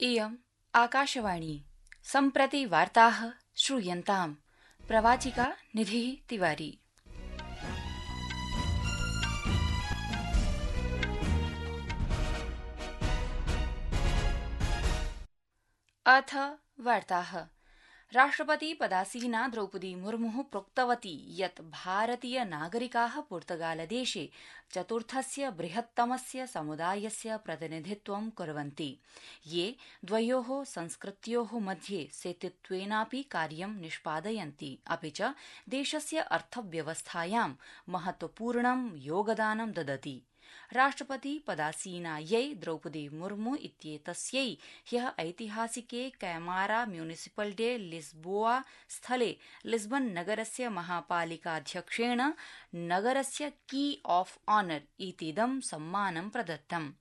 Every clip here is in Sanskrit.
इयम् आकाशवाणी सम्प्रति वार्ताः श्रूयन्ताम्। प्रवाचिका निधिः तिवारी। अथ वार्ताः। राष्ट्रपति पदासीना द्रौपदी मुर्मु प्रोक्तवती यत् भारतीय नागरिकाः पुर्तगालदेशे चतुर्थस्य बृहत्तमस्य समुदायस्य प्रतिनिधित्वं कुर्वन्ति, ये द्वयोः संस्कृत्योः मध्ये सेतुत्वेनापि कार्यं निष्पादयन्ति, अपि च देशस्य अर्थव्यवस्थायां महत्वपूर्णं योगदानं ददति। राष्ट्रपति पदासीनायै द्रौपदी मुर्मु इत्येतस्यै ह्यः ऐतिहासिके कैमारा म्युनिसिपल डे लिस्बोआ स्थले लिस्बन नगरस्य महापालिकाध्यक्षेण नगरस्य की ऑफ ऑनर इतीदं सम्मानं प्रदत्तम्।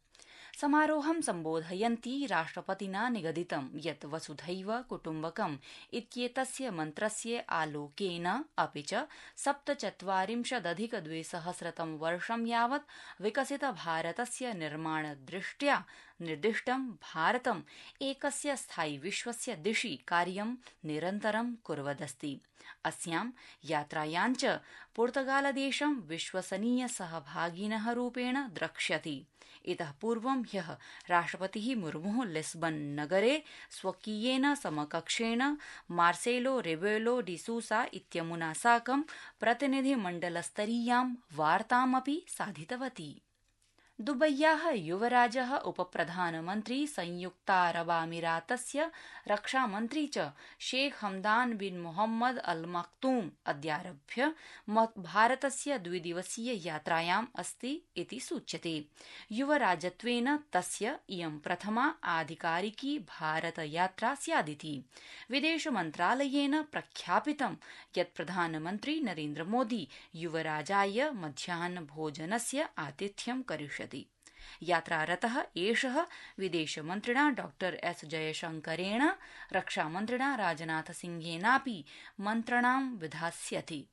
समारोहं सम्बोधयन्ती राष्ट्रपतिना निगदितं यत् वसुधैव कुटुम्बकम् इत्येतस्य मन्त्रस्य आलोकेन अपि च 47,200 वर्षं यावत् विकसित भारतस्य निर्माणदृष्ट्या निर्दिष्टं भारतम् एकस्य स्थायि विश्वस्य दिशि कार्यं निरन्तरं कुर्वदस्ति। अस्यां यात्रायां च पुर्तगालदेशं विश्वसनीय सहभागिनः रूपेण द्रक्ष्यति। इतः पूर्वं ह्यः राष्ट्रपतिः मुर्मुः लिस्बन नगरे स्वकीयेन समकक्षेण मार्सेलो रेबेलो डी सूसा इत्यमुना साकं प्रतिनिधिमण्डलस्तरीयां वार्तामपि साधितवती। दुबय्याः युवराजः उपप्रधानमन्त्री संयुक्तारबामीरातस्य रक्षामन्त्री च शेख हमदान बिन मोहम्मद अल मक्तूम अद्यारभ्य भारतस्य द्विदिवसीय यात्रायाम् अस्ति इति सूच्यते। युवराजत्वेन तस्य इयं प्रथमा आधिकारिकी भारतयात्रा स्यादिति। विदेशमन्त्रालयेन प्रख्यापितं यत् प्रधानमन्त्री नरेन्द्र मोदी युवराजाय मध्याह्नभोजनस्य आतिथ्यं करिष्यति। यात्रारतः एषः विदेशमन्त्रिणा डॉ एस जयशंकरेण रक्षामन्त्रिणा राजनाथसिंहेनापि मन्त्रणां विधास्यति।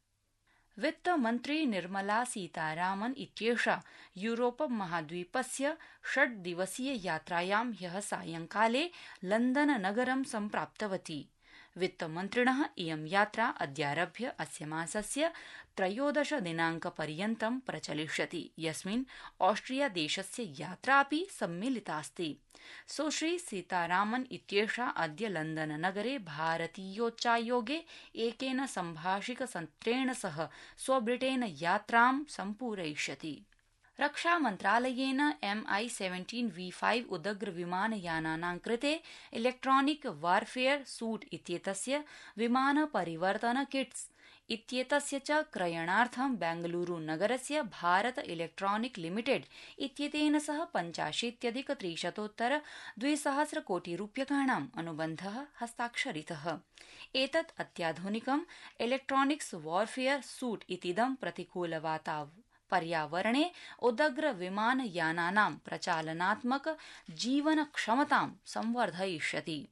वित्तमन्त्री निर्मला सीतारामन इत्येषा यूरोप महाद्वीपस्य 6 दिवसीय यात्रायां ह्यः सायंकाले लंदन नगरं सम्प्राप्तवती। वित्तमन्त्रिणः इयं यात्रा अद्यारभ्य अस्य मासस्य 13 दिनाङ्कपर्यन्तं प्रचलिष्यति, यस्मिन् ऑस्ट्रिया देशस्य यात्रा अपि सम्मिलितास्ति। सुश्री सीतारामन इत्येषा अद्य लंदन नगरे भारतीयोच्चायोगे एकेन सम्भाषिकसत्रेण सह स्वब्रिटेन यात्रां सम्पूरयिष्यति। रक्षामन्त्रालयेन MI-17V5 उदग्र विमानयानानां कृते इलेक्ट्रॉनिक वारफेयर सूट इत्येतस्य विमान परिवर्तन किट्स् इत्येतस्य च क्रयणार्थं बेंगलुरु नगरस्य भारत इलेक्ट्रॉनिक लिमिटेड इत्येतेन सह 85,300 कोटि रूप्यकाणाम् अनुबन्धः हस्ताक्षरितः। एतत् अत्याधुनिकम् इलेक्ट्रॉनिक्स वारफेयर सूट इतीदं पर्यावरणे उदग्र विमानयानानां प्रचालनात्मक जीवनक्षमतां संवर्धयिष्यति।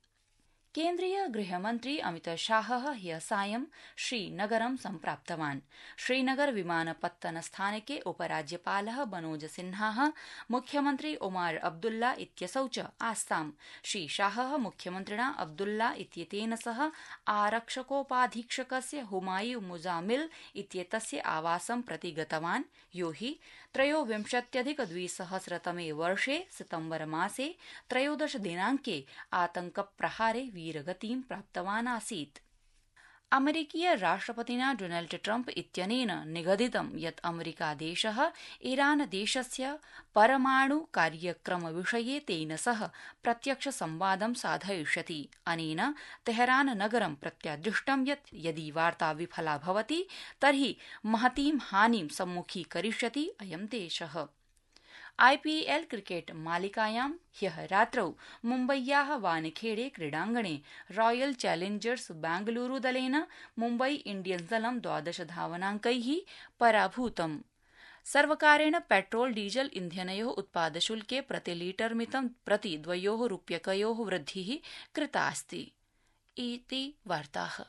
केन्द्रीय गृहमन्त्री अमितशाहः ह्यः सायं श्रीनगरं सम्प्राप्तवान्। श्रीनगर विमानपत्तनस्थानके उपराज्यपालः मनोज सिन्हाः मुख्यमन्त्री उमार अब्दुल्ला इत्यसौ च आस्ताम्। श्रीशाहः मुख्यमन्त्रिणा अब्दुल्ला इत्येतेन सह आरक्षकोपाधीक्षकस्य हुमायूं मुजामिल इत्येतस्य आवासं प्रति गतवान्, यो हि 23,200 वर्षे सितम्बर मासे 13 दिनाङ्के आतङ्कप्रहारे वीरगतिं प्राप्तवान् आसीत्। अमेरिकीय राष्ट्रपतिना डोनाल्ड ट्रम्प इत्यनेन निगदितं यत् अमेरिकादेशः ईरानदेशस्य परमाणु कार्यक्रमविषये तेन सह प्रत्यक्ष संवादं साधयिष्यति। अनेन तेहरान नगरं प्रत्यादिष्टं यत् यदि वार्ता विफला भवति तर्हि महतीं हानिं सम्मुखीकरिष्यति अयं देशः। IPL क्रिकेट मालिकायां ह्यः रात्रौ मुम्बय्याः वानखेड़े क्रीडाङ्गणे रॉयल चैलेंजर्स बेंगलुरु दलेन मुम्बई इंडियन्स दलं 12 धावनाङ्कैः पराभूतम्। सर्वकारेण पेट्रोल डीजल इन्धनयोः उत्पादशुल्के प्रतिलीटरमितं प्रति 2 रूप्यकयोः वृद्धिः कृता अस्ति। इति वार्ताः।